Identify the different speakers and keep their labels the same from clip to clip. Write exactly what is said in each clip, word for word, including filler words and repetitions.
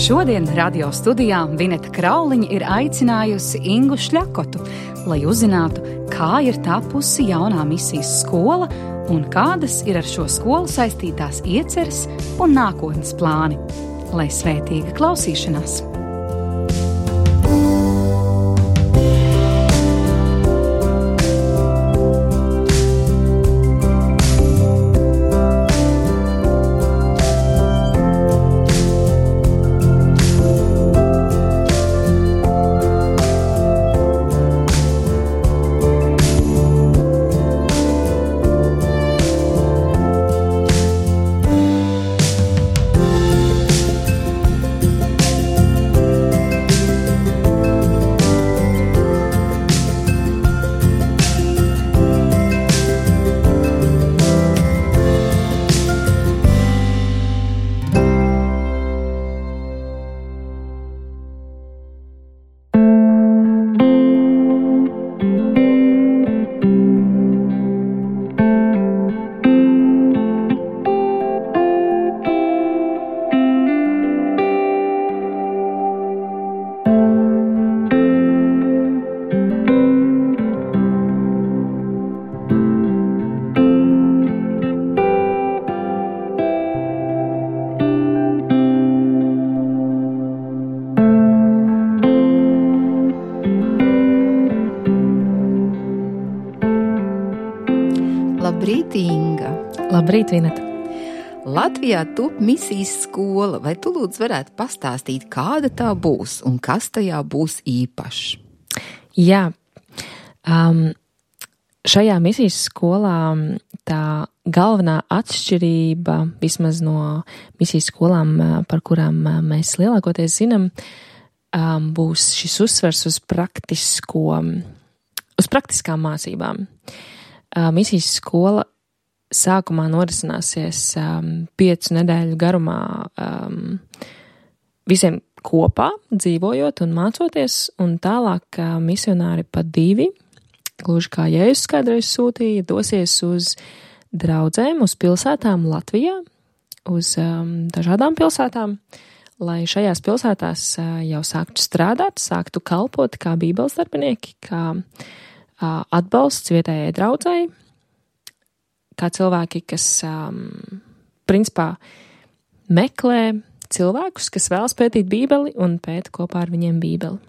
Speaker 1: Šodien radio studijā Vineta Krauliņa ir aicinājusi Ingu Šļakotu, lai uzzinātu, kā ir tapusi jaunā misijas skola un kādas ir ar šo skolu saistītās ieceres un nākotnes plāni. Lai svētīga klausīšanās!
Speaker 2: Labrīt, Inga!
Speaker 3: Labrīt, Vineta!
Speaker 2: Latvijā top misijas skola, vai tu lūdzu varētu pastāstīt, kāda tā būs un kas tajā būs īpašs?
Speaker 3: Jā, um, šajā misijas skolā tā galvenā atšķirība, vismaz no misijas skolām, par kurām mēs lielākoties zinām, um, būs šis uzsvers uz praktisko, uz praktiskām mācībām. Uh, misijas skola sākumā norisināsies um, piecu nedēļu garumā um, visiem kopā dzīvojot un mācoties, un tālāk uh, misionāri pa divi, gluži kā Jēzus kādreiz sūtīja, dosies uz draudzēm, uz pilsētām Latvijā, uz um, dažādām pilsētām, lai šajās pilsētās uh, jau sāktu strādāt, sāktu kalpot kā bībeles darbinieki, kā atbalsts vietējai draudzei, kā cilvēki, kas um, principā meklē cilvēkus, kas vēlas pētīt bībeli un pēta kopā ar viņiem bībeli.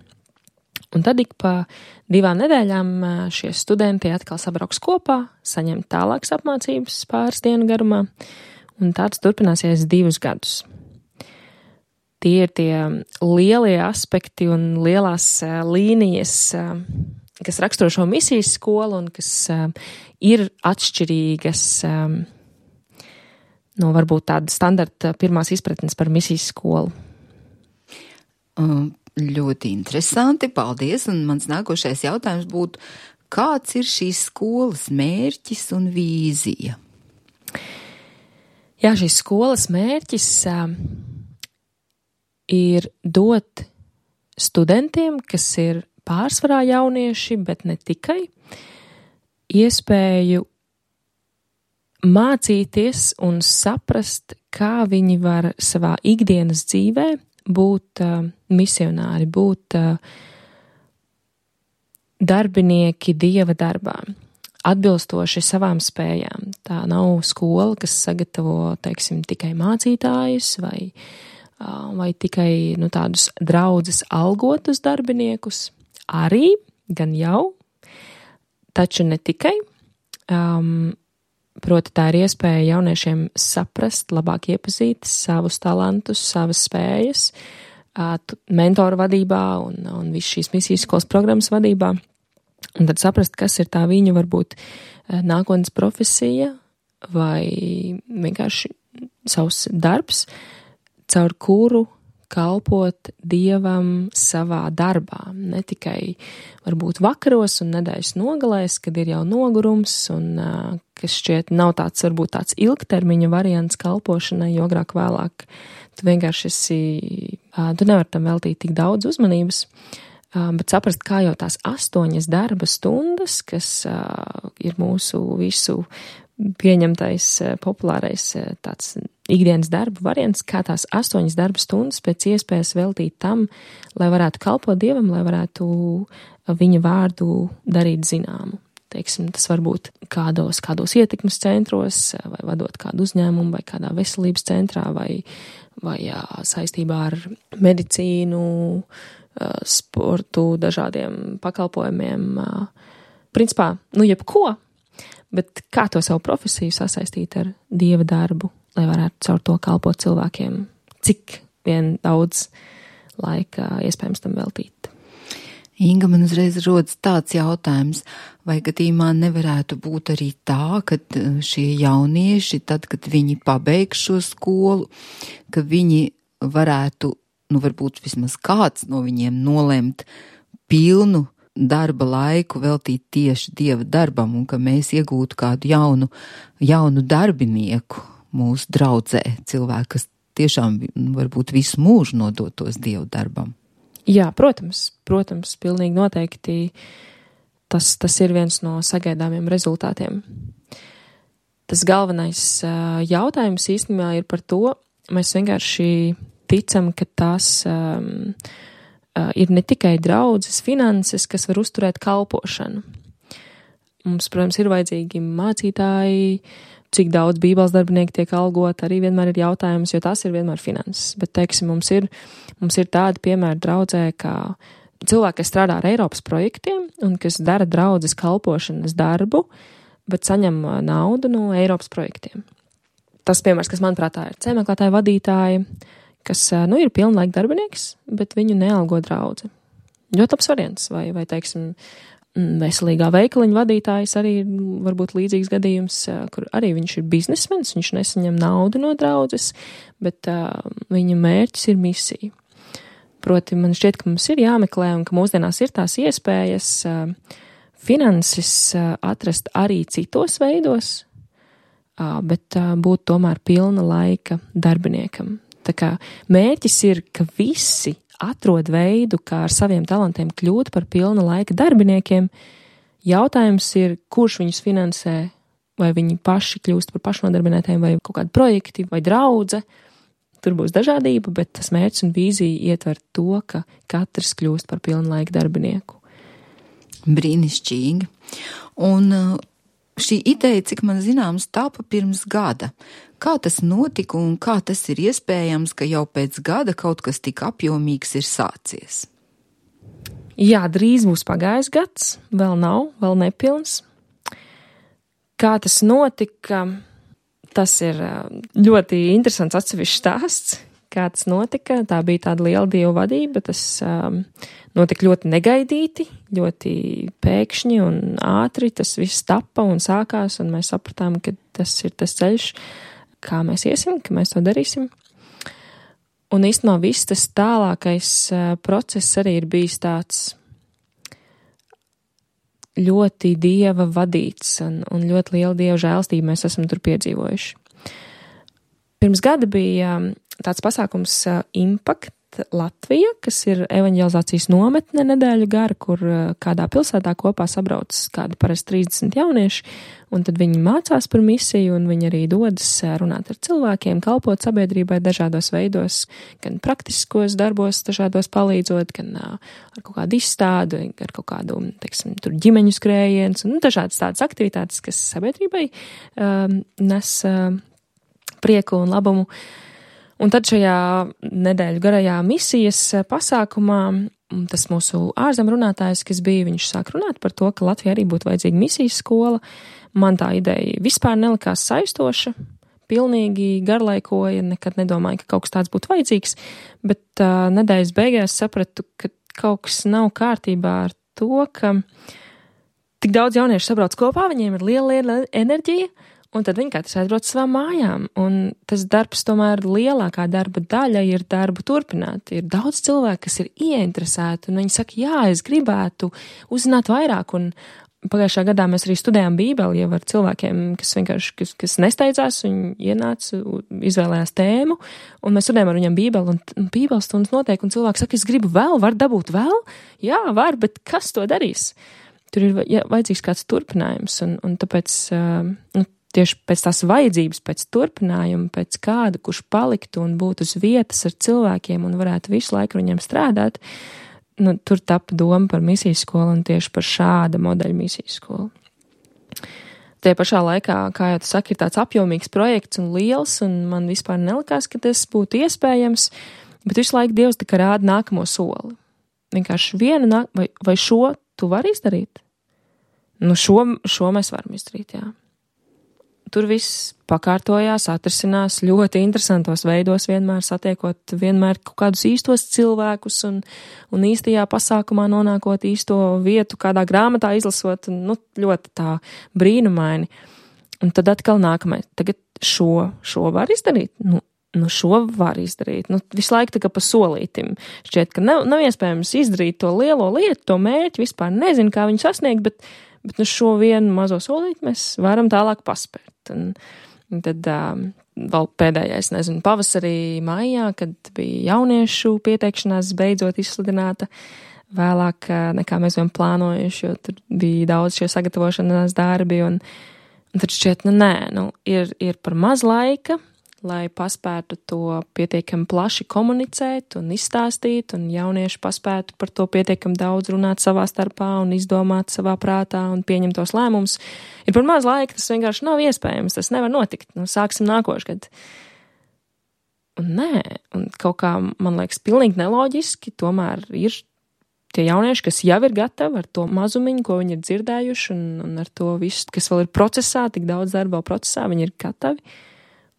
Speaker 3: Un tad ik pa divām nedēļām šie studenti atkal sabrauks kopā, saņem tālākas apmācības pāris dienu garumā, un tāds turpināsies divus gadus. Tie ir tie lielie aspekti un lielās uh, līnijas, uh, kas raksturo šo misijas skolu un kas uh, ir atšķirīgas um, no varbūt tāda standarta pirmās izpratnes par misijas skolu.
Speaker 2: Um, ļoti interesanti, paldies, un mans nākošais jautājums būtu, kāds ir šīs skolas mērķis un vīzija?
Speaker 3: Jā, šīs skolas mērķis uh, ir dot studentiem, kas ir pārsvarā jaunieši, bet ne tikai, iespēju mācīties un saprast, kā viņi var savā ikdienas dzīvē būt uh, misionāri, būt uh, darbinieki Dieva darbā, atbilstoši savām spējām. Tā nav skola, kas sagatavo, teiksim, tikai mācītājus vai, uh, vai tikai nu, tādus draudzes algotus darbiniekus, arī, gan jau, taču ne tikai. Um, proti tā ir iespēja jauniešiem saprast, labāk iepazīt savus talantus, savas spējas, uh, mentoru vadībā un, un visu šīs misijas skolas programmas vadībā. Un tad saprast, kas ir tā viņu varbūt uh, nākotnes profesija vai vienkārši savs darbs, caur kuru kalpot Dievam savā darbā, ne tikai varbūt vakaros un nedēļas nogalēs, kad ir jau nogurums un uh, kas šķiet nav tāds varbūt tāds ilgtermiņa variants kalpošanai, jo agrāk vēlāk tu vienkārši esi, uh, tu nevar tam veltīt tik daudz uzmanības, uh, bet saprast, kā jau tās astoņas darba stundas, kas uh, ir mūsu visu pieņemtais, populārais tāds ikdienas darba variants, kā tās astoņas darba stundas pēc iespējas veltīt tam, lai varētu kalpot Dievam, lai varētu viņa vārdu darīt zināmu. Teiksim, tas var būt kādos, kādos ietekmes centros, vai vadot kādu uzņēmumu, vai kādā veselības centrā, vai, vai jā, saistībā ar medicīnu, sportu, dažādiem pakalpojumiem. Principā, nu jebko, bet kā to savu profesiju sasaistīt ar Dieva darbu, lai varētu caur to kalpot cilvēkiem, cik vien daudz laika iespējams tam veltīt.
Speaker 2: Inga, man uzreiz rodas tāds jautājums, vai gadījumā nevarētu būt arī tā, ka šie jaunieši, tad, kad viņi pabeigs šo skolu, ka viņi varētu, nu varbūt vismaz kāds no viņiem nolemt pilnu darba laiku veltīt tieši Dieva darbam, un ka mēs iegūtu kādu jaunu, jaunu darbinieku mūsu draudzē, cilvēku, kas tiešām varbūt visu mūžu nodotos Dieva darbam.
Speaker 3: Jā, protams, protams, pilnīgi noteikti tas, tas ir viens no sagaidāmiem rezultātiem. Tas galvenais jautājums īstenībā ir par to, mēs vienkārši ticam, ka tas um, ir ne tikai draudzes finanses, kas var uzturēt kalpošanu. Mums, protams, ir vajadzīgi mācītāji, cik daudz bībeles darbinieki tiek algot, arī vienmēr ir jautājums, jo tas ir vienmēr finanses. Bet, teiksim, mums ir, mums ir tādi piemēri draudzē, kā cilvēki, kas strādā ar Eiropas projektiem un kas dara draudzes kalpošanas darbu, bet saņem naudu no Eiropas projektiem. Tas piemērs, kas manuprāt ir ceļmeklētāju vadītāji, kas, nu, ir pilnlaika darbinieks, bet viņu nealgo draudze. Ļoti labs variants, vai, vai, teiksim, veselīgā veikaliņa vadītājs arī varbūt līdzīgs gadījums, kur arī viņš ir biznesmenis, viņš nesaņem naudu no draudzes, bet uh, viņa mērķis ir misija. Proti, man šķiet, ka mums ir jāmeklē un ka mūsdienās ir tās iespējas uh, finanses uh, atrast arī citos veidos, uh, bet uh, būt tomēr pilna laika darbiniekam. Tā kā mērķis ir, ka visi atrod veidu, kā ar saviem talantiem kļūt par pilna laika darbiniekiem. Jautājums ir, kurš viņus finansē, vai viņi paši kļūst par pašnodarbinātiem, vai kaut kādi projekti, vai draudze. Tur būs dažādība, bet tas mērķis un vīzija ietver to, ka katrs kļūst par pilna laika darbinieku.
Speaker 2: Brīnišķīgi. Un šī ideja, cik man zināms, tāpa pirms gada. Kā tas notika un kā tas ir iespējams, ka jau pēc gada kaut kas tik apjomīgs ir sācies?
Speaker 3: Jā, drīz būs pagājis gads, vēl nav, vēl nepilns. Kā tas notika, tas ir ļoti interesants atsevišķs stāsts. Kā tas notika, tā bija tāda liela Dieva vadība, tas um, notika ļoti negaidīti, ļoti pēkšņi un ātri, tas viss tapa un sākās, un mēs sapratām, ka tas ir tas ceļš, kā mēs iesim, ka mēs to darīsim. Un īstenībā viss tas tālākais uh, process arī ir bijis tāds ļoti Dieva vadīts un, un ļoti liela Dieva žēlstība mēs esam tur piedzīvojuši. Pirms gada bija um, tāds pasākums uh, Impact Latvija, kas ir evaņģelizācijas nometne nedēļu gara, kur uh, kādā pilsētā kopā sabrauc kādi parasti trīsdesmit jaunieši, un tad viņi mācās par misiju, un viņi arī dodas uh, runāt ar cilvēkiem, kalpot sabiedrībai dažādos veidos, gan praktiskos darbos dažādos palīdzot, gan uh, ar kaut kādu izstādu, ar kaut kādu, teiksim, tur ģimeņu skrējiens, un dažādas tādas aktivitātes, kas sabiedrībai uh, nes uh, prieku un labumu. Un tad šajā nedēļu garajā misijas pasākumā tas mūsu ārzem runātājs, kas bija, viņš sāk runāt par to, ka Latvijā arī būtu vajadzīga misijas skola. Man tā ideja vispār nelikās saistoša, pilnīgi garlaikoja, nekad nedomāju, ka kaut kas tāds būtu vajadzīgs, bet uh, nedēļas beigās sapratu, ka kaut kas nav kārtībā ar to, ka tik daudz jauniešu sabrauc kopā, viņiem ir liela, liela enerģija, un tad viņi katrs aizbrauc savām mājām, un tas darbs tomēr lielākā darba daļa ir darbu turpināt. Ir daudz cilvēku, kas ir ieinteresēti, un viņi saka, jā, es gribētu uzzināt vairāk, un pagājušā gadā mēs arī studējām Bībeli jau ar cilvēkiem, kas vienkārši, kas, kas nesteidzās, viņi ienāca, izvēlējās tēmu, un mēs studējām ar viņiem Bībeli, un Bībeles stundas notiek, un cilvēks saka, es gribu vēl, var dabūt vēl? Jā, var, bet kas to darīs? Tur ir jā, vajadzīgs kāds turpinājums, un, un tāpēc, nu, tieši pēc tās vajadzības, pēc turpinājuma, pēc kāda, kurš paliktu un būtu uz vietas ar cilvēkiem un varētu visu laiku viņiem strādāt, nu, tur tapa doma par misijas skolu un tieši par šāda modeļa misijas skolu. Tie pašā laikā, kā jau tu saki, ir tāds apjomīgs projekts un liels, un man vispār nelikās, ka tas būtu iespējams, bet visu laiku Dievs tā kā rāda nākamo soli. Vienkārši viena, vai, vai šo tu vari izdarīt? Nu, šo, šo mēs varam izdarīt, jā. Tur viss pakārtojās, atrisinās ļoti interesantos veidos, vienmēr satiekot vienmēr kaut kādus īstos cilvēkus un, un īstajā pasākumā nonākot īsto vietu, kādā grāmatā izlasot, nu, ļoti tā brīnumaini. Un tad atkal nākamais, tagad šo, šo var izdarīt? Nu, nu šo var izdarīt. Nu, visu laiku tā kā pa solītim. Šķiet, ka nav, nav iespējams izdarīt to lielo lietu, to mērķi, vispār nezinu, kā viņu sasniegt, bet Bet nu šo vienu mazo solīti mēs varam tālāk paspērt. Un, un tad um, vēl pēdējais, nezinu, pavasarī, maijā, kad bija jauniešu pieteikšanās beidzot izsludināta vēlāk nekā mēs bijām plānojuši, jo tur bija daudz šie sagatavošanās darbi. Un, un tad šķiet, nu nē, nu ir, ir par maz laika, lai paspētu to pietiekami plaši komunicēt un izstāstīt, un jaunieši paspētu par to pietiekami daudz runāt savā starpā un izdomāt savā prātā un pieņemt tos lēmumus. Ir par maz laika, tas vienkārši nav iespējams, tas nevar notikt. Nu, sāksim nākošgad. Un nē, un kaut kā, man liekas, pilnīgi neloģiski, tomēr ir tie jaunieši, kas jau ir gatavi ar to mazumiņu, ko viņi ir dzirdējuši, un, un ar to visu, kas vēl ir procesā, tik daudz darba vēl procesā, viņi ir gatavi.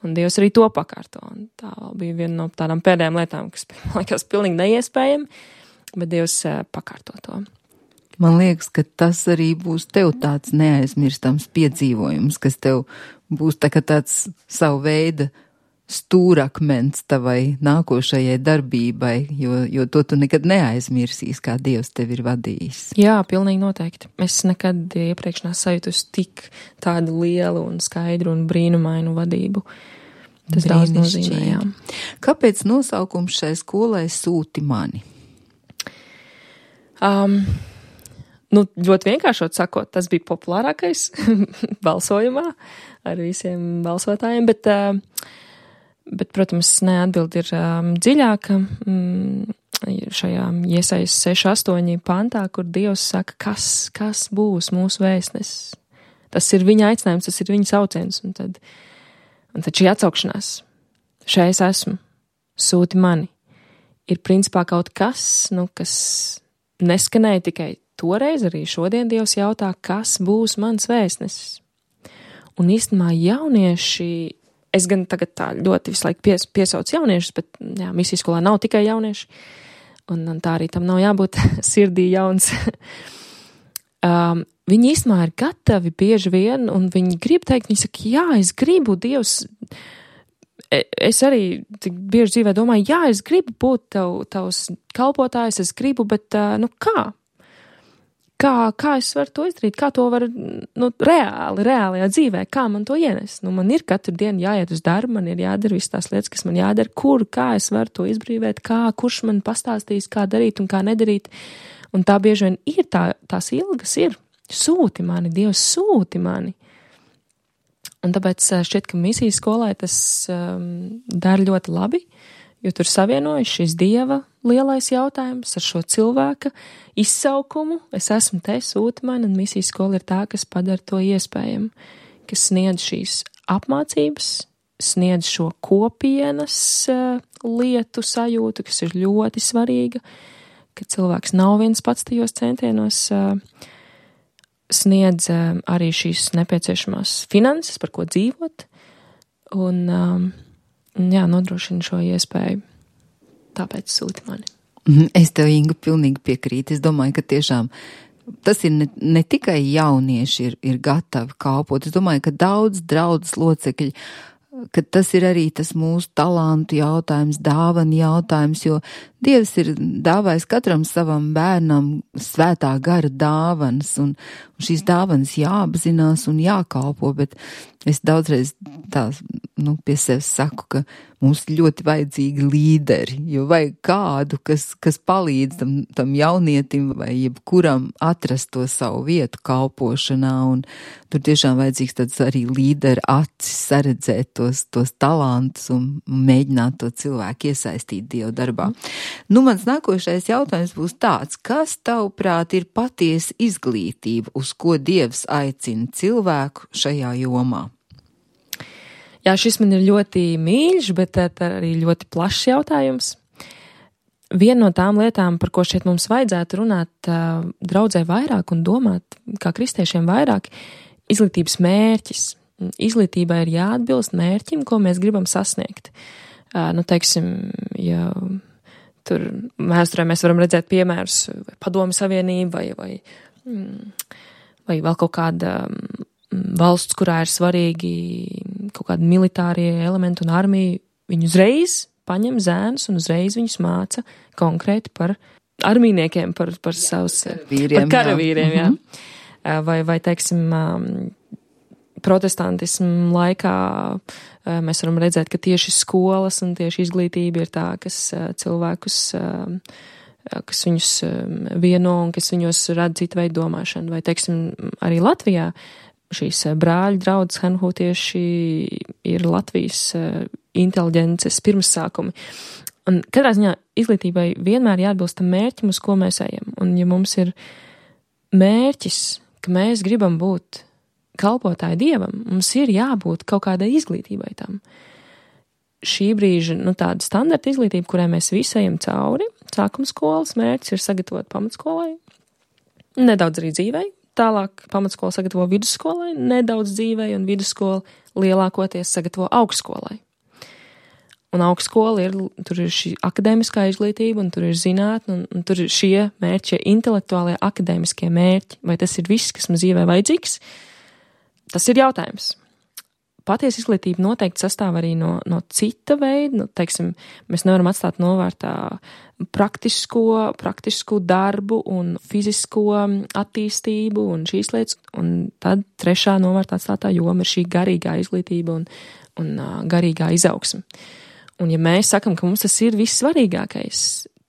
Speaker 3: Un Dievs arī to pakārto. Un tā bija viena no tādām pēdējām lietām, kas, man liekas, pilnīgi neiespējami, bet Dievs pakārto to.
Speaker 2: Man liekas, ka tas arī būs tev tāds neaizmirstams piedzīvojums, kas tev būs tā kā tāds savu veidu stūrakmens tavai nākošajai darbībai, jo, jo to tu nekad neaizmirsīs, kā Dievs tevi ir vadījis.
Speaker 3: Jā, pilnīgi noteikti. Es nekad iepriekš nesajūtus tik tādu lielu un skaidru un brīnumainu vadību. Tas daudz nozīmē, jā.
Speaker 2: Kāpēc nosaukums šai skolai Sūti mani?
Speaker 3: Um, nu, ļoti vienkāršot sakot, tas bija populārākais balsojumā ar visiem balsotājiem, bet uh, Bet, protams, neatbild ir um, dziļāka mm, šajā Iesajas seši astoņi pantā, kur Dievs saka, kas, kas būs mūsu vēstnesis. Tas ir viņa aicinājums, tas ir viņa sauciens. Un tad, un tad šī atsaukšanās, šeit es esmu, sūti mani, ir principā kaut kas, nu, kas neskanēja tikai toreiz, arī šodien Dievs jautā, kas būs mans vēstnesis. Un īstenībā jaunieši, es gan tagad tā ļoti visu laiku pies, piesaucu jauniešus, bet jā, misijas skolā nav tikai jaunieši, un, un tā arī tam nav jābūt sirdī jauns. um, viņi īstenībā ir gatavi bieži vien, un viņi grib teikt, viņi saka, jā, es gribu, Dievs, es arī tik bieži dzīvē domāju, jā, es gribu būt tav, tavs kalpotājs, es gribu, bet, uh, nu kā? Kā, kā es varu to izdarīt, kā to var, nu, reāli, reālajā dzīvē, kā man to ienest? Nu, man ir katru dienu jāiet uz darbu, man ir jādara visas tās lietas, kas man jādara, kur, kā es varu to izbrīvēt, kā, kurš man pastāstīs, kā darīt un kā nedarīt. Un tā bieži vien ir tā, tās ilgas ir, sūti mani, Dievs sūti mani. Un tāpēc šķiet, ka misijas skolai tas um, dara ļoti labi, jo tur savienojas šis Dieva lielais jautājums ar šo cilvēka izsaukumu. Es esmu te, sūti mani, un misijas skola ir tā, kas padara to iespējamu, kas sniedz šīs apmācības, sniedz šo kopienas uh, lietu sajūtu, kas ir ļoti svarīga, ka cilvēks nav viens pats tajos centienos, uh, sniedz uh, arī šīs nepieciešamās finanses, par ko dzīvot, un um, jā, nodrošina šo iespēju. Tāpēc sūti mani.
Speaker 2: Es tev, Inga, pilnīgi piekrītu. Es domāju, ka tiešām tas ir ne, ne tikai jaunieši ir, ir gatavi kalpot. Es domāju, ka daudz draudzes locekļi, ka tas ir arī tas mūsu talantu jautājums, dāvanu jautājums, jo Dievs ir dāvājis katram savam bērnam svētā gara dāvanas, un, un šīs dāvanas jāapzinās un jākalpo, bet es daudzreiz tā nu, pie sevis saku, ka mums ļoti vajadzīgi līderi, jo vajag kādu, kas, kas palīdz tam, tam jaunietim vai jebkuram atrast to savu vietu kalpošanā, un tur tiešām vajadzīgs tāds arī līderi acis saredzēt tos, tos talantus un mēģināt to cilvēku iesaistīt Dieva darbā. Nu, mans nākošais jautājums būs tāds, kas tavuprāt ir patiesa izglītība, uz ko Dievs aicina cilvēku šajā jomā?
Speaker 3: Jā, šis man ir ļoti mīļš, bet arī ļoti plašs jautājums. Viena no tām lietām, par ko šeit mums vajadzētu runāt draudzē vairāk un domāt, kā kristiešiem vairāk, izglītības mērķis. Izglītībai ir jāatbilst mērķim, ko mēs gribam sasniegt. Nu, teiksim, ja tur vēsturē mēs varam redzēt piemērus Padomju Savienību vai, vai, vai vēl kaut kāda valsts, kurā ir svarīgi kaut kādi militārie elementi un armija, viņi uzreiz paņem zēnus un uzreiz viņus māca konkrēti par armijniekiem, par, par savus karavīriem, par karavīriem, jā. jā. Vai, vai, teiksim, protestantismu laikā mēs varam redzēt, ka tieši skolas un tieši izglītība ir tā, kas cilvēkus, kas viņus vieno un kas viņos rada citu veidu domāšanu. Vai, teiksim, arī Latvijā šīs brāļu draudzes hanhūtieši ir Latvijas inteliģences pirmsākumi. Un katrā ziņā izglītībai vienmēr jāatbilst tam mērķim, uz ko mēs ejam. Un ja mums ir mērķis, ka mēs gribam būt kalpotāji Dievam, mums ir jābūt kaut kādai izglītībai tam. Šī brīža, nu, tāda standarta izglītība, kurai mēs visi ejam cauri, sākuma skolas mērķis ir sagatavot pamatskolai, nedaudz arī dzīvei. Tālāk pamatskola sagatavo vidusskolai, nedaudz dzīvei, un vidusskola lielākoties sagatavo augstskolai. Un augstskola ir, tur ir šī akadēmiskā izglītība, un tur ir zinātne, un, un tur ir šie mērķi, intelektuālie akadēmiskie mērķi. Vai tas ir viss, kas mums dzīvē vajadzīgs? Tas ir jautājums. Patiesa izglītība noteikti sastāv arī no, no cita veida, nu, teiksim, mēs nevaram atstāt novārtā praktisko, praktisko darbu un fizisko attīstību un šīs lietas, un tad trešā novārtā atstātā joma ir šī garīgā izglītība un, un uh, garīgā izaugsme. Un ja mēs sakam, ka mums tas ir vissvarīgākais,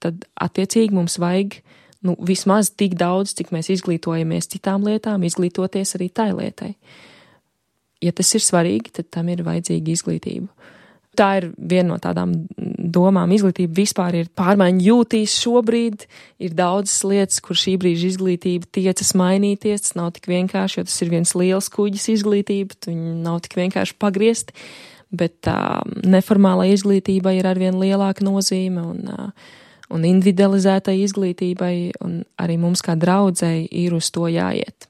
Speaker 3: tad attiecīgi mums vajag, nu, vismaz tik daudz, cik mēs izglītojamies citām lietām, izglītoties arī tai lietai. Ja tas ir svarīgi, tad tam ir vajadzīga izglītība. Tā ir viena no tādām domām. Izglītība vispār ir pārmaiņu jūtīs šobrīd. Ir daudzas lietas, kur šī brīža izglītība tiecas mainīties. Tas nav tik vienkārši, jo tas ir viens liels kuģis izglītība. Viņi nav tik vienkārši pagriezt. Bet tā neformālā izglītība ir arvien lielāka nozīme un, un individualizētai izglītībai. Un arī mums kā draudzei ir uz to jāiet.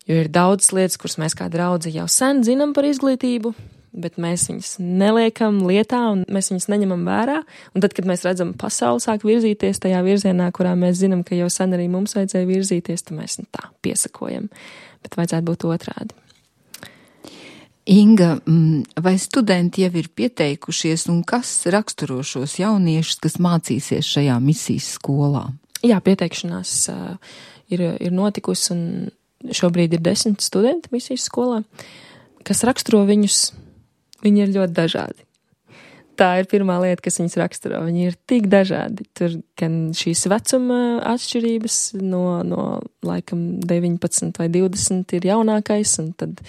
Speaker 3: Jo ir daudz lietas, kuras mēs kā draudzi jau sen zinām par izglītību, bet mēs viņas neliekam lietā un mēs viņas neņemam vērā. Un tad, kad mēs redzam pasauli sāk virzīties tajā virzienā, kurā mēs zinām, ka jau sen arī mums vajadzēja virzīties, tad mēs nu, tā piesakojam. Bet vajadzētu būt otrādi.
Speaker 2: Inga, vai studenti jau ir pieteikušies un kas raksturo šos jauniešus, kas mācīsies šajā misijas skolā?
Speaker 3: Jā, pieteikšanās uh, ir, ir notikusi un šobrīd ir desmit studenti misijas skolā, kas raksturo viņus, viņi ir ļoti dažādi. Tā ir pirmā lieta, kas viņus raksturo. Viņi ir tik dažādi. Tur gan šīs vecuma atšķirības no, no laikam deviņpadsmit vai divdesmit ir jaunākais, un tad,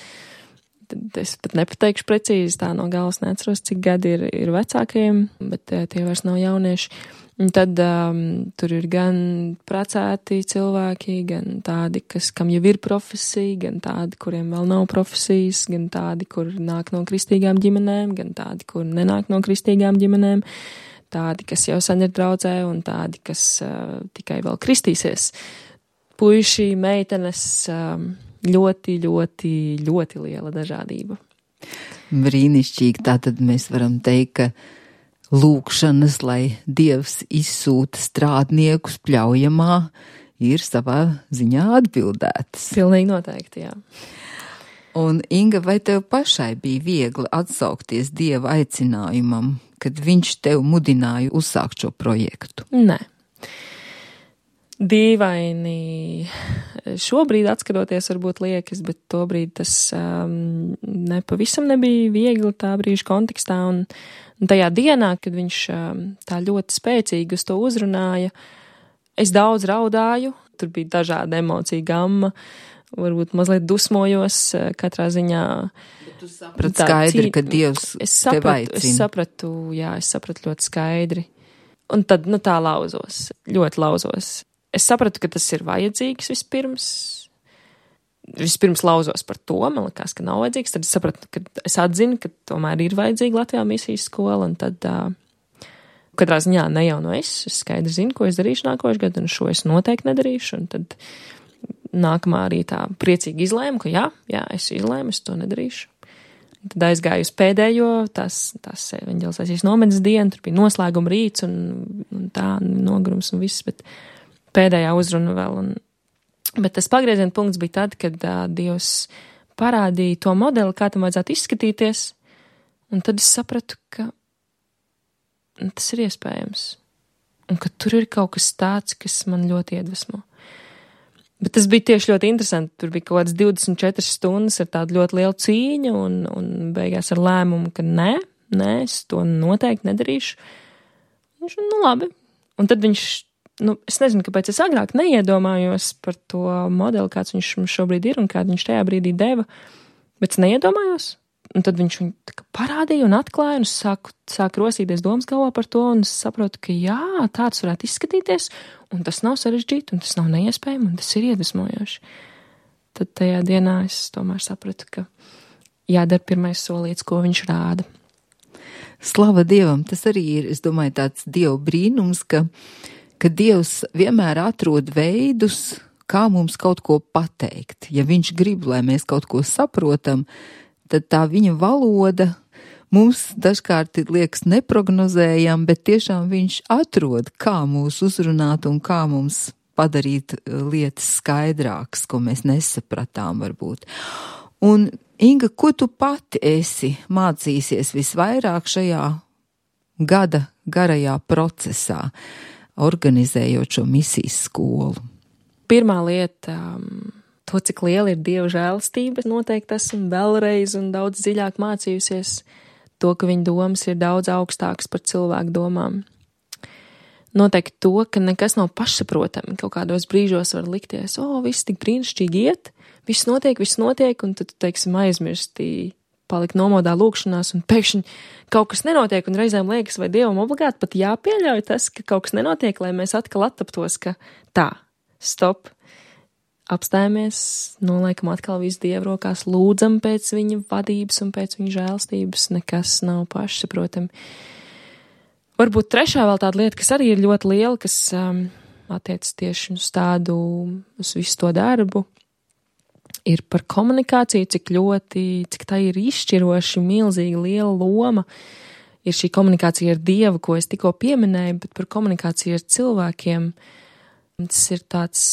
Speaker 3: tad es pat nepateikšu precīzi, tā no galvas neatceros, cik gadi ir, ir vecākajiem, bet tie vairs nav jaunieši. Un tad um, tur ir gan precēti cilvēki, gan tādi, kas, kam jau ir profesija, gan tādi, kuriem vēl nav profesijas, gan tādi, kur nāk no kristīgām ģimenēm, gan tādi, kur nenāk no kristīgām ģimenēm, tādi, kas jau sen ir draudzē, un tādi, kas uh, tikai vēl kristīsies. Puiši, meitenes, um, ļoti, ļoti, ļoti liela dažādība.
Speaker 2: Brīnišķīgi, tātad mēs varam teikt, ka lūkšanas, lai Dievs izsūta strādniekus pļaujamā, ir savā ziņā atbildētas.
Speaker 3: Pilnīgi noteikti, jā.
Speaker 2: Un, Inga, vai tev pašai bija viegli atsaukties Dieva aicinājumam, kad viņš tev mudināja uzsākt šo projektu?
Speaker 3: Nē. dīvaini šobrīd atskatoties varbūt liekas, bet tobrīd tas um, nepavisam nebija viegli tā brīža kontekstā, un, un tajā dienā, kad viņš um, tā ļoti spēcīgi uz to uzrunāja, es daudz raudāju, tur bija dažāda emocija gamma, varbūt mazliet dusmojos katrā ziņā.
Speaker 2: Bet tu saprati skaidri, cīn... ka Dievs
Speaker 3: es sapratu,
Speaker 2: tev aicina.
Speaker 3: Es sapratu, jā, es sapratu ļoti skaidri. Un tad, nu tā lauzos, ļoti lauzos. Es sapratu, ka tas ir vajadzīgs vispirms. Vispirms lauzos par to, man likās, ka nav vajadzīgs. Tad es sapratu, ka es atzinu, ka tomēr ir vajadzīga Latvijā misijas skola, un tad uh, katrā ziņā ne jau no es. Es skaidri zinu, ko es darīšu nākošais gadu, un šo es noteikti nedarīšu. Un tad nākamā arī tā priecīgi izlēmu, ka jā, jā, es izlēmu, es to nedarīšu. Tad aizgāju uz pēdējo, tās, tās evaņģelizācijas nometnes dienu, tur bija noslēguma rīts un, un tā, nogurums un viss, bet pēdējā uzruna vēl. Un, bet tas pagrieziena punkts bija tad, kad uh, Dievs parādīja to modeli, kā tam vajadzētu izskatīties, un tad es sapratu, ka tas ir iespējams, un ka tur ir kaut kas tāds, kas man ļoti iedvesmo. Bet tas bija tieši ļoti interesanti. Tur bija kaut kāds divdesmit četras stundas ar tādu ļoti lielu cīņu un, un beigās ar lēmumu, ka nē, nē, es to noteikti nedarīšu. Viņš, nu labi. Un tad viņš, nu, es nezinu, kāpēc es agrāk neiedomājos par to modeli, kāds viņš mums šobrīd ir un kādu viņš tajā brīdī deva, bet es neiedomājos. Un tad viņš viņu tā kā parādīja un atklāja, un es sāku, sāku rosīties domas galvā par to, un es saprotu, ka jā, tāds varētu izskatīties, un tas nav sarežģīti, un tas nav neiespējami, un tas ir iedvesmojoši. Tad tajā dienā es tomēr sapratu, ka jādara pirmais solīts, ko viņš rāda.
Speaker 2: Slava Dievam, tas arī ir, es domāju, tāds Dieva brīnums, ka, ka Dievs vienmēr atrod veidus, kā mums kaut ko pateikt. Ja viņš grib, lai mēs kaut ko saprotam, tad tā viņa valoda mums dažkārt liekas neprognozējama, bet tiešām viņš atrod, kā mūs uzrunāt un kā mums padarīt lietas skaidrākas, ko mēs nesapratām varbūt. Un, Inga, ko tu pati esi mācīsies visvairāk šajā gada garajā procesā, organizējot šo misijas skolu?
Speaker 3: Pirmā lieta... Um... To, cik liela ir Dieva žēlastība, noteikti esmu vēlreiz un daudz dziļāk mācījusies to, ka viņa domas ir daudz augstākas par cilvēku domām. Noteikti to, ka nekas nav pašsaprotami. Kaut kādos brīžos var likties, o, oh, viss tik brīnišķīgi iet, viss notiek, viss notiek, un tad, teiksim, aizmirstī, palikt nomodā lūkšanās, un pēkšņi kaut kas nenotiek, un reizēm liekas, vai Dievam obligāti pat jāpieļauj tas, ka kaut kas nenotiek, lai mēs atkal attaptos, ka tā, stop, apstājamies, noliekam atkal visu Dievu rokās, lūdzam pēc viņa vadības un pēc viņa žēlstības, nekas nav pašsaprotami. Varbūt trešā vēl tāda lieta, kas arī ir ļoti liela, kas um, attiec tieši uz tādu, uz visu to darbu, ir par komunikāciju, cik ļoti, cik tā ir izšķiroši, milzīga, liela loma. Ir šī komunikācija ar Dievu, ko es tikko pieminēju, bet par komunikāciju ar cilvēkiem. Tas ir tāds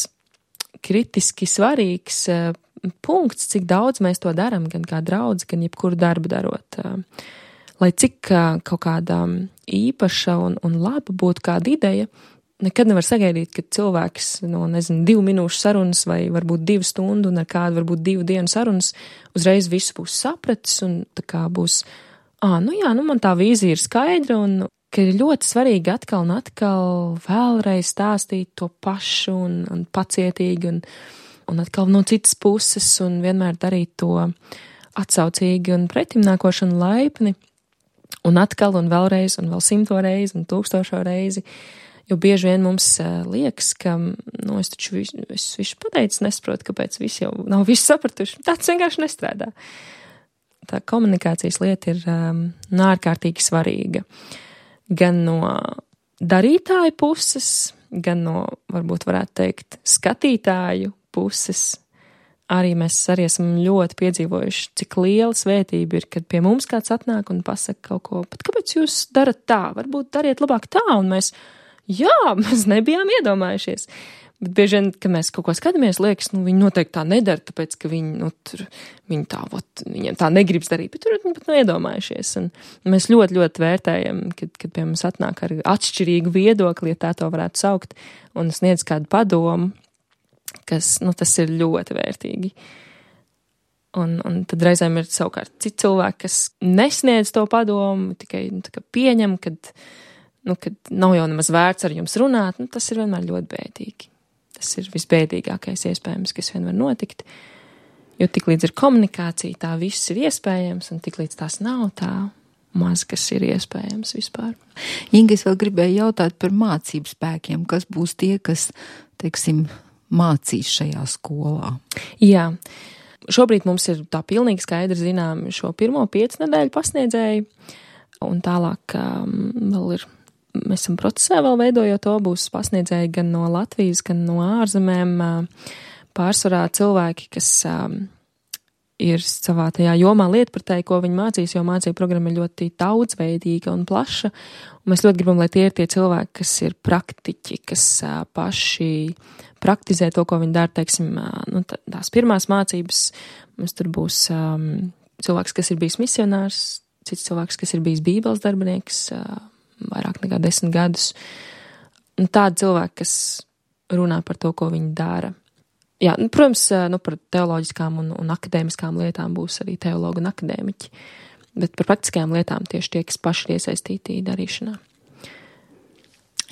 Speaker 3: kritiski svarīgs uh, punkts, cik daudz mēs to daram, gan kā draudz, gan jebkuru darbu darot. Uh, lai cik uh, kaut kāda īpaša un, un laba būtu kāda ideja, nekad nevar sagaidīt, ka cilvēks no, nezinu, divu minūšu sarunas vai varbūt divu stundu un ar kādu varbūt divu dienu sarunas uzreiz visu būs sapratis un tā kā būs, ā, nu jā, nu man tā vīzija ir skaidra un ka ir ļoti svarīgi atkal un atkal vēlreiz stāstīt to pašu un, un pacietīgi un, un atkal no citas puses un vienmēr darīt to atsaucīgi un pretimnākošanu laipni un atkal un vēlreiz un vēl simto reizi un tūkstošo reizi, jo bieži vien mums uh, liekas, ka, nu, es taču visu, es visu pateicu, nesaprotu, kāpēc visi jau nav visu sapratuši, tāds vienkārši nestrādā. Tā komunikācijas lieta ir um, ārkārtīgi svarīga. Gan no darītāju puses, gan no, varbūt varētu teikt, skatītāju puses. Arī mēs arī esam ļoti piedzīvojuši, cik liela svētība ir, kad pie mums kāds atnāk un pasaka kaut ko, bet kāpēc jūs darat tā? Varbūt dariet labāk tā, un mēs, jā, mēs nebijām iedomājušies. Bet bieži vien, kad mēs kaut ko skatāmies, liekas, nu, viņi noteikti tā nedara, tāpēc, ka viņi, nu, tur, viņi tā, vot, viņiem tā negribas darīt, bet tur viņi pat nav iedomājušies. Un mēs ļoti, ļoti vērtējam, kad, kad pie mums atnāk ar atšķirīgu viedokli, ja tā to varētu saukt, un sniedz kādu padomu, kas, nu, tas ir ļoti vērtīgi. Un, un tad reizēm ir savukārt citi cilvēki, kas nesniedz to padomu, tikai, nu, tā kā pieņem, kad, nu, kad nav jau nemaz vērts ar jums runāt, nu, tas ir vienmēr ļoti bēdīgi. Tas ir visbēdīgākais iespējams, kas vien var notikt, jo tik līdz ir komunikācija, tā viss ir iespējams, un tik līdz tās nav, tā maz, kas ir iespējams vispār.
Speaker 2: Inga, es vēl gribēju jautāt par mācību spēkiem, kas būs tie, kas, teiksim, mācīs šajā skolā?
Speaker 3: Jā, šobrīd mums ir tā pilnīgi skaidri zinām šo pirmo piecu nedēļu pasniedzēju, un tālāk um, vēl ir mēs esam procesā vēl veidojot to, būs pasniedzēji gan no Latvijas, gan no ārzemēm, pārsvarā cilvēki, kas ir savā tajā jomā lietpratēji, ko viņi mācīs, jo mācību programma ir ļoti daudzveidīga un plaša, un mēs ļoti gribam, lai tie ir tie cilvēki, kas ir praktiķi, kas paši praktizē to, ko viņi dara, teiksim, nu, tās pirmās mācības, mums tur būs um, cilvēks, kas ir bijis misionārs, cits cilvēks, kas ir bijis bībeles darbinieks, uh, vairāk nekā desmit gadus. Un tādi cilvēki, kas runā par to, ko viņi dara. Jā, nu, protams, nu, par teoloģiskām un, un akadēmiskām lietām būs arī teologi un akadēmiķi, bet par praktiskajām lietām tieši tie, kas paši ir iesaistīti darīšanā.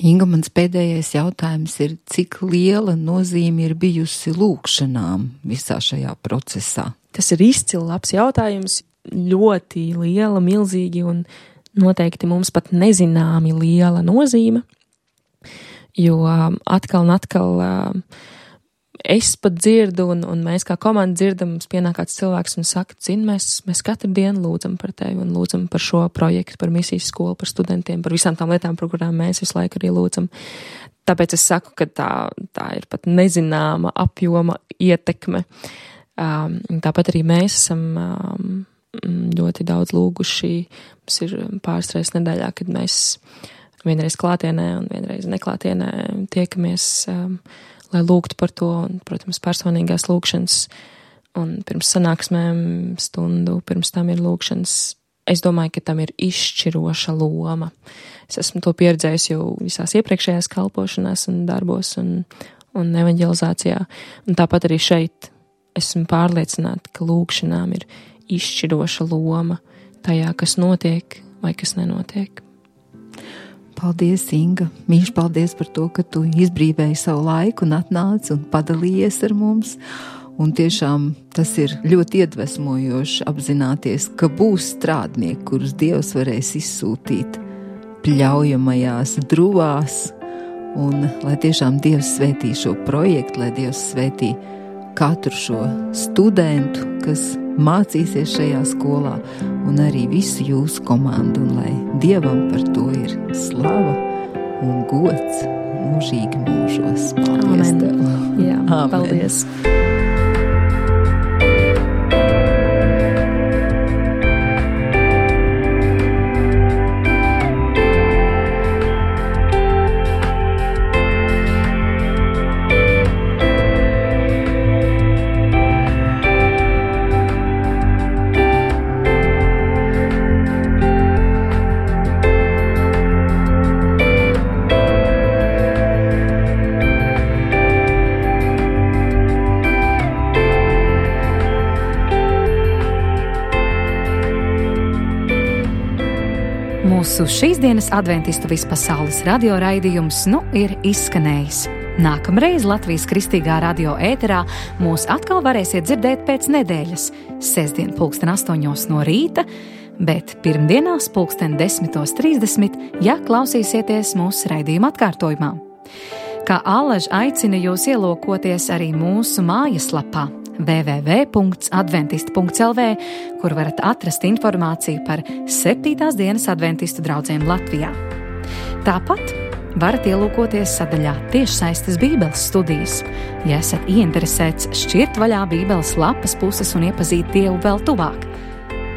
Speaker 2: Inga, mans pēdējais jautājums ir, cik liela nozīme ir bijusi lūkšanām visā šajā procesā? Tas
Speaker 3: ir izcili labs jautājums, ļoti liela, milzīgi un noteikti mums pat nezināmi liela nozīme, jo atkal un atkal es pat dzirdu un, un mēs kā komanda dzirdam, mums pienāk kāds cilvēks un saka, zin, mēs, mēs katru dienu lūdzam par tevi un lūdzam par šo projektu, par misijas skolu, par studentiem, par visām tām lietām, par kurām mēs visu laiku arī lūdzam. Tāpēc es saku, ka tā, tā ir pat nezināma apjoma ietekme. Um, tāpat arī mēs esam um, ļoti daudz lūguši. Mums ir pāris reizes nedēļā, kad mēs vienreiz klātienē un vienreiz neklātienē tiekamies, um, lai lūgtu par to, un, protams, personīgās lūgšanas, un pirms sanāksmēm stundu, pirms tam ir lūgšanas. Es domāju, ka tam ir izšķiroša loma. Es esmu to pieredzējis jau visās iepriekšējās kalpošanās un darbos un, un evanģelizācijā, un tāpat arī šeit esmu pārliecināta, ka lūgšanām ir izšķiroša loma tajā, kas notiek vai kas nenotiek.
Speaker 2: Paldies, Inga. Mīļš, paldies par to, ka tu izbrīvēji savu laiku un atnāci un padalījies ar mums. Un tiešām tas ir ļoti iedvesmojoši apzināties, ka būs strādnieki, kurus Dievs varēs izsūtīt pļaujamajās druvās. Un lai tiešām Dievs svētī šo projektu, lai Dievs svētī katru šo studentu, kas mācīsies šajā skolā, un arī visu jūsu komandu, un lai Dievam par to ir slava un gods mūžīgi mūžos. Paldies
Speaker 3: Amen.
Speaker 2: Tev!
Speaker 3: Jā,
Speaker 2: Amen.
Speaker 3: Paldies!
Speaker 1: Mūsu šīs dienas adventistu vispasaules radio raidījums nu ir izskanējis. Nākamreiz Latvijas Kristīgā radio ēterā mūs atkal varēsiet dzirdēt pēc nedēļas, sestdien pulksten astoņos no rīta, bet pirmdienās pulksten desmitos trīsdesmit, ja klausīsieties mūsu raidījuma atkārtojumā. Kā allaž aicina jūs ielūkoties arī mūsu mājaslapā w w w punkts adventisti punkts l v, kur varat atrast informāciju par septītās dienas adventistu draudzēm Latvijā. Tāpat varat ielūkoties sadaļā tiešsaistes Bībeles studijas, ja esat ieinteresēts šķirt vaļā Bībeles lapas puses un iepazīt Dievu vēl tuvāk.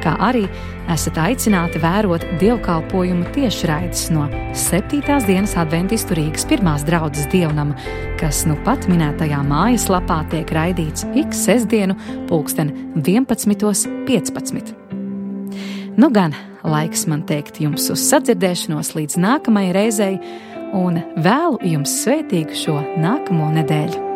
Speaker 1: kā arī esat aicināti vērot dievkalpojumu tiešraides no septītās dienas adventistu Rīgas pirmās draudzes dievnama, kas nu pat minētajā mājaslapā tiek raidīts ik sestdienu pulksten vienpadsmitos piecpadsmit. Nu gan, laiks man teikt jums uz sadzirdēšanos līdz nākamajai reizei un vēlu jums svētīgu šo nākamo nedēļu.